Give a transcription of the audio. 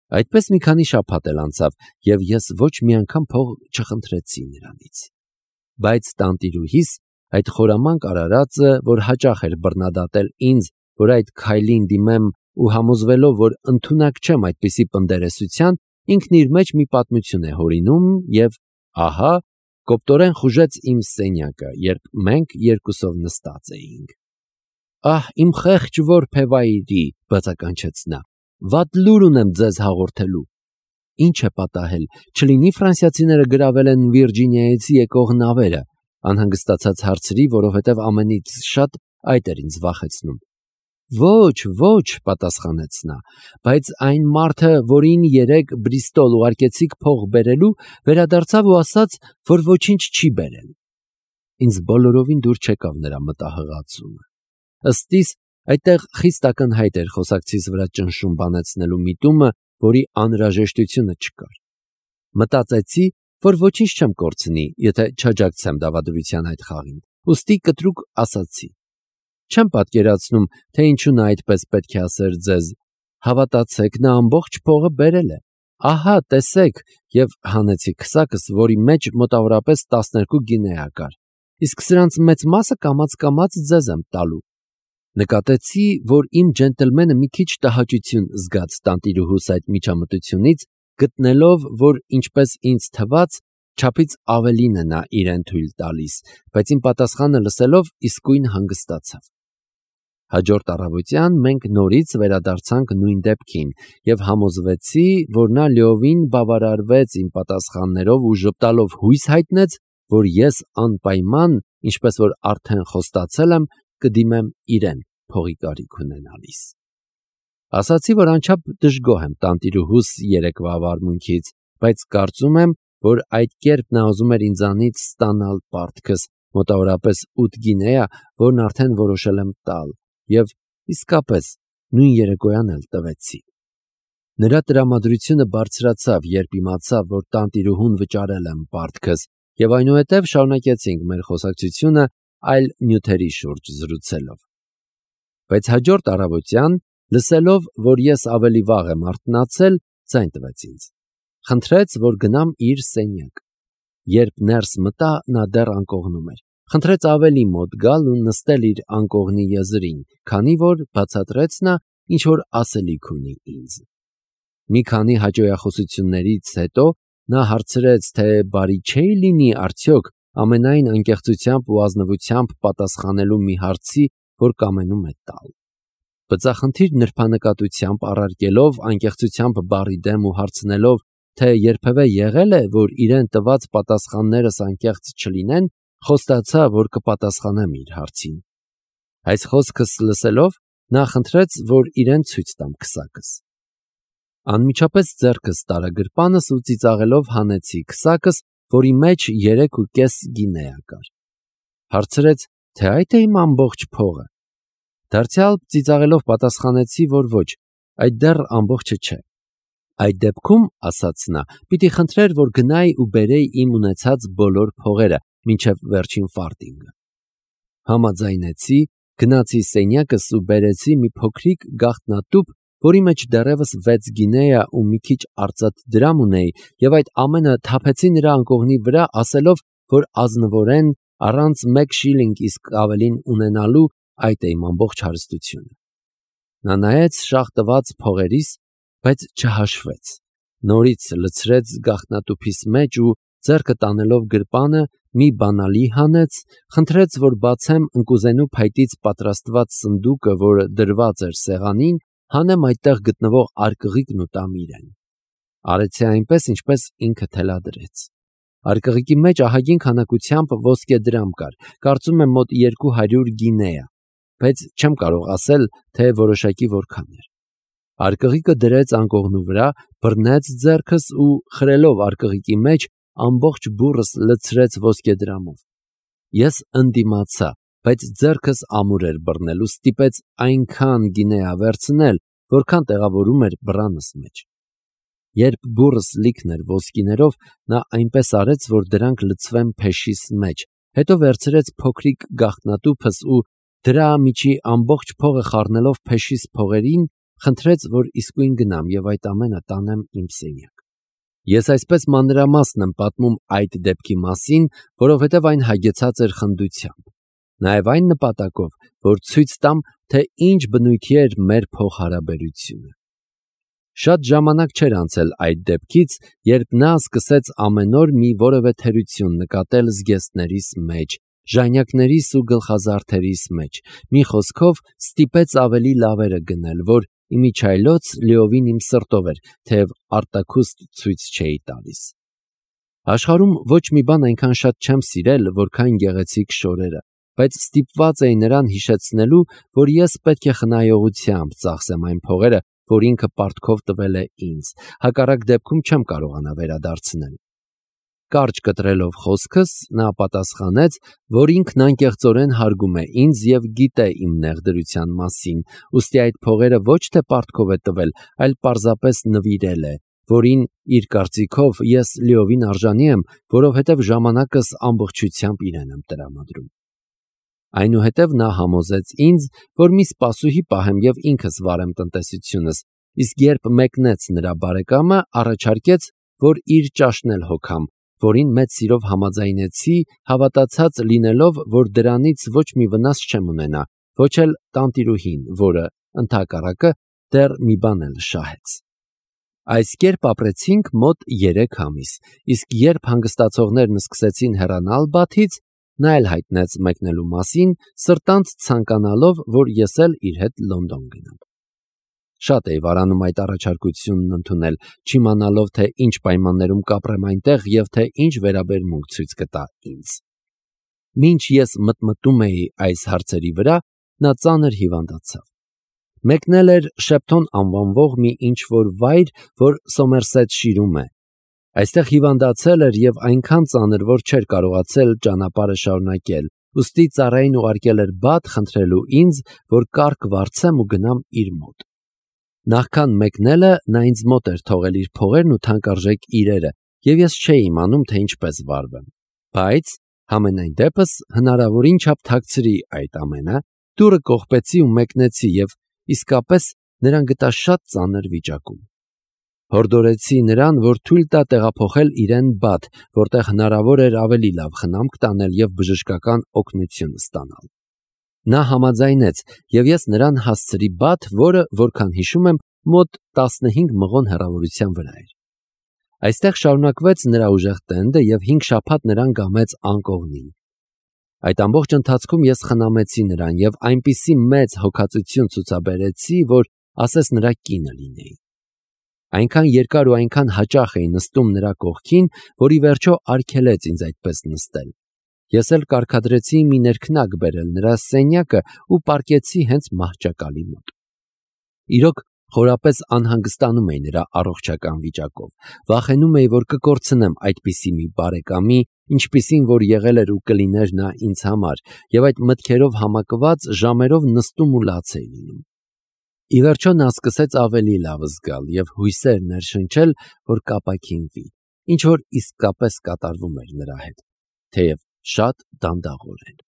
Այդպես մի քանի շաբաթ էլ անցավ, և ես ոչ մի անգամ փող չխնդրեցի նրանից։ Բայց տանտիրուհիս այդ խորամանկ արարածը, որ հաճախ էր բռնադատել ինձ, որ այդ քայլին դիմեմ ու համոզվելով, որ ընդունակ չեմ այդպիսի պնդերեսության, ինքն իր մեջ մի պատմություն է հորինում և, ահա, կոպտորեն խուժեց իմ սենյակը, երբ մենք երկուսով նստած էինք։ «Ահ, իմ խեղճ որբևայրի», բացականչեց նա, «վատ լուր ունեմ ձեզ հաղորդելու»։ «Ինչ է պատահել, չլինի ֆրանսիացիները գրավել են Վիրջինիայից եկող նավերը», անհանգստացած հարցրի, որովհետև ամենից շատ այդ էր ինձ վախեցնում։ «Ոչ, պատասխանեց նա, բայց այն մարդը, որին երեկ Բրիստոլ ուղարկեցիք փող բերելու, վերադարձավ ու ասաց, որ ոչինչ չի բերել»։ Ինձ բոլորովին դուր չեկավ նրա մտահղացումը։ Ըստ իս, այդտեղ խիստ ակնհայտ էր խոսակցիս վրա ճնշում բանեցնելու միտումը, որի անհրաժեշտությունը չկար։ Մտածեցի, որ ոչինչ չեմ կորցնի, եթե չաջակցեմ դավադրության այդ խաղին, ուստի կտրուկ ասացի. «Չեմ պատկերացնում, թե ինչու նա այդպես պետք է ասեր ձեզ. հավատացեք, նա ամբողջ փողը բերել է։ Ահա, տեսեք», և հանեցի քսակս, որի մեջ մոտավորապես 12 գինեա կար։ «Իսկ սրանց մեծ մասը կամաց ձեզ եմ տալու»։ Նկատեցի, որ իմ ջենտլմենը մի քիչ տհաճություն զգաց տանտիրուհուս այդ միջամտությունից, գտնելով, որ ինչպես ինձ թվաց, չափից ավելին է նա իրեն թույլ տալիս, բայց իմ պատասխանը լսելով իսկույն հանգստացավ։ Հաջորդ առավոտյան մենք նորից վերադարձանք նույն դեպքին և համոզվեցի, որ նա լիովին բավարարվեց իմ պատասխաններով ու ժպտալով հույս հայտնեց, որ ես անպայման, ինչպես որ արդեն խոստացել եմ, կդիմեմ իրեն փողի կարիք ունենալիս։ Ասացի, որ անչափ դժգոհ եմ տանտիրուհուս երեկվա վարմունքից, բայց կարծում եմ, որ այդ կերպ նա ուզում էր ինձանից ստանալ պարտքս, մոտավորապես 8 գինեա, որն արդեն որոշել եմ տալ, և իսկապես նույն երեկոյան էլ տվեցի։ Նրա տրամադրությունը բարձրացավ, երբ իմացավ, որ տանտիրուհուն վճարել եմ պարտքս, և այնուհետև շարունակեցինք մեր խոսակցությունը այլ նյութերի շուրջ զրուցելով։ Բայց հաջորդ առավոտյան, լսելով, որ ես ավելի վաղ եմ արթնացել, ձայն տվեց ինձ։ Խնդրեց, որ գնամ իր սենյակ։ Երբ ներս մտա, նա դեռ անկողնում էր։ Խնդրեց ավելի մոտ գալ ու նստել իր անկողնի եզրին, քանի որ, բացատրեց նա, ինչ-որ ասելիք ունի ինձ։ Մի քանի հաճոյախոսություններից հետո նա հարցրեց, թե բարի չէի լինի արդյոք ամենայն անկեղծությամբ ու ազնվությամբ պատասխանելու մի հարցի, որ կամենում է տալ։ Բծախնդիր նրբանկատությամբ առարկելով անկեղծությամբ բառի դեմ ու հարցնելով, թե երբևէ եղել է, որ իրեն տված պատասխաններս անկեղծ չլինեն, խոստացա, որ կպատասխանեմ իր հարցին։ Այս խոսքս լսելով, նա խնդրեց, որ իրեն ցույց տամ քսակս։ Անմիջապես ձեռքս տարա գրպանս ու ծիծաղելով հանեցի քսակս, որի մեջ 3.5 գինեա կար։ Հարցրեց, թե այդ է իմ ամբողջ փողը։ Դարձյալ ծիծաղելով պատասխանեցի, որ ոչ, այդ դեռ ամբողջը չէ։ Այդ դեպքում, ասաց նա, պիտի խնդրեր, որ գնայի ու բերեի իմ ունեցած բոլոր փողերը, մինչև վերջին ֆարտինգը։ Համաձայնեցի, գնացի սենյակս ու բերեցի մի փոքրիկ գաղտնատուփ, որի մեջ դեռևս 6 գինեա ու մի քիչ արծաթ դրամ ունեի, և այդ ամենը թափեցի նրա անկողնի վրա, ասելով, որ ազնվորեն, առանց 1 շիլինգ իսկ ավելին ունենալու, այդ է իմ ամբողջ հարստությունը։ Նա նայեց շաղ տված փողերիս, բայց չհաշվեց, նորից լցրեց գաղտնատուփիս մեջ ու, ձեռքը տանելով գրպանը, մի բանալի հանեց, խնդրեց, որ բացեմ ընկուզենու փայտից պատրաստված սնդուկը, որը դրված էր սեղանին, հանեմ այդտեղ գտնվող արկղիկն ու տամ իրեն։ Արեցի այնպես, ինչպես ինքը թելադրեց։ Արկղիկի մեջ ահագին քանակությամբ ոսկե դրամ կար, կարծում եմ մոտ 200 գինեա, բայց չեմ կարող ասել, թե որոշակի որքան էր։ Արկղիկը դրեց անկողնու վրա, բռնեց ձեռքս ու, խրելով արկղիկի մեջ, ամբողջ բուրըս լցրեց ոսկե դրամով։ Ես ընդդիմացա, բայց ձեռքս ամուր էր բռնել ու ստիպեց այնքան գինեա վերցնել, որքան տեղավորում էր բռանս մեջ։ Երբ բուրըս լիքն էր ոսկիներով, նա այնպես արեց, որ դրանք լցվեն փեշիս մեջ, հետո վերցրեց փոքրիկ գաղտնատուփս ու դրա միջի ամբողջ փողը խառնելով փեշիս փողերին, խնդրեց, որ իսկույն գնամ եւ այդ ամենը տանեմ իմ սենյակ։ Ես այսպես մանրամասն եմ պատմում այդ դեպքի մասին, որովհետև այն հագեցած էր խնդությամբ, նաև այն նպատակով, որ ցույց տամ, թե ինչ բնույթի էր մեր փոխհարաբերությունը։ Շատ ժամանակ չէր անցել այդ դեպքից, երբ նա սկսեց ամեն օր մի որևէ թերություն նկատել զգեստներիս մեջ, ժանյակներիս ու գլխազարդերիս մեջ, մի խոսքով ստիպեց ավելի լավերը գնել, որ իմիջայլոց լիովին իմ սրտով էր, թեև արտաքուստ ցույց չէի տալիս։ Աշխարհում ոչ մի բան այնքան շատ չեմ սիրել, որքան գեղեցիկ շորերը, բայց ստիպված էի նրան հիշեցնելու, որ ես պետք է խնայողությամբ ծախսեմ այն փողերը, որ ինքը պարտքով տվել է ինձ, հակառակ դեպքում չեմ կարողանա վերադարձնել։ Կարճ կտրելով խոսքս, նա պատասխանեց, որ ինքն անկեղծորեն հարգում է ինձ եւ գիտե իմ նեղդրության մասին, ուստի այդ փողերը ոչ թե պարտքով է տվել, այլ պարզապես նվիրել է, որին իր կարծիքով ես լիովին արժանի եմ, որովհետև ժամանակս ամբողջությամբ իրեն եմ տրամադրում։ Այնուհետև նա համոզեց ինձ, որ մի սպասուհի պահեմ եւ ինքս վարեմ տնտեսությունս, իսկ երբ մեկնեց նրա բարեկամը, առաջարկեց, որ իր ճաշն էլ հոգամ, որին մեծ սիրով համաձայնեցի, հավատացած լինելով, որ դրանից ոչ մի վնաս չեմ ունենա, ոչ էլ տանտիրուհին, որը ընդհակառակը դեռ մի բան էլ շահեց։ Այս կերպ ապրեցինք մոտ 3 ամիս, իսկ երբ հանգստացողներն սկսեցին հեռանալ Բաթից, նա էլ հայտնեց մեկնելու մասին, սրտանց ցանկանալով, որ ես էլ իր հետ Լոնդոն գնամ։ Շատ էի վարանում այդ առաջարկությունն ընդունել, չիմանալով, թե ինչ պայմաններում կապրեմ այնտեղ եւ թե ինչ վերաբերմունք ցույց կտա ինձ։ Մինչ ես մտմտում էի այս հարցերի վրա, նա ծանր հիվանդացավ։ Մեկնել էր Շեփթոն անվանվող մի ինչ-որ վայր, որ Սոմերսեթշիրում է։ Այստեղ հիվանդացել էր եւ այնքան ծանր, որ չէր կարողացել ճանապարհը շարունակել, ուստի ծառային ուղարկել էր Բաթ խնդրելու ինձ, որ կառք վարձեմ ու գնամ իր մոտ։ Նախքան մեկնելը նա ինձ մոտ էր թողել իր փողերն ու թանկարժեք իրերը, եւ ես չէի իմանում, թե ինչպես վարվեմ։ Բայց համենայն դեպս հնարավորին չափ թաքցրի այդ ամենը, դուռը կողպեցի ու մեկնեցի եւ իսկապես նրան գտա շատ ծանր վիճակում։ Հորդորեցի նրան, որ թույլ տա տեղափոխել իրեն Բաթ, որտեղ հնարավոր էր ավելի լավ խնամք տանել եւ բժշկական օգնություն ստանալ։ Նա համաձայնեց եւ ես նրան հասցրի Բաթ, որը, որքան հիշում եմ, մոտ 15 մղոն հեռավորության վրա էր։ Այստեղ շարունակվեց նրա ուժեղ տենդը եւ 5 շաբաթ նրան գամեց անկողնին։ Այդ ամբողջ ընթացքում ես խնամեցի նրան եւ այնպիսի մեծ հոգածություն ցուցաբերեցի, որ ասես նրա կինը լինեի։ Այնքան երկար ու այնքան հաճախ էի նստում նրա կողքին, որ ի վերջո արգելեց ինձ այդպես նստել։ Ես էլ կարգադրեցի մի ներքնակ բերել նրա սենյակը ու պառկեցի հենց մահճակալի մոտ։ Իրոք խորապես անհանգստանում էի նրա առողջական վիճակով, վախենում էի, որ կկորցնեմ այդպիսի մի բարեկամի, ինչպիսին որ եղել էր ու կլիներ նա ինձ համար, եւ այդ մտքերով համակված ժամերով նստում ու լաց էի լինում։ Ի վերջո նա սկսեց ավելի լավ զգալ եւ հույսեր ներշնչել, որ կապաքինվի, ինչ որ իսկապես կատարվում էր նրա հետ, թեև շատ դանդաղորեն։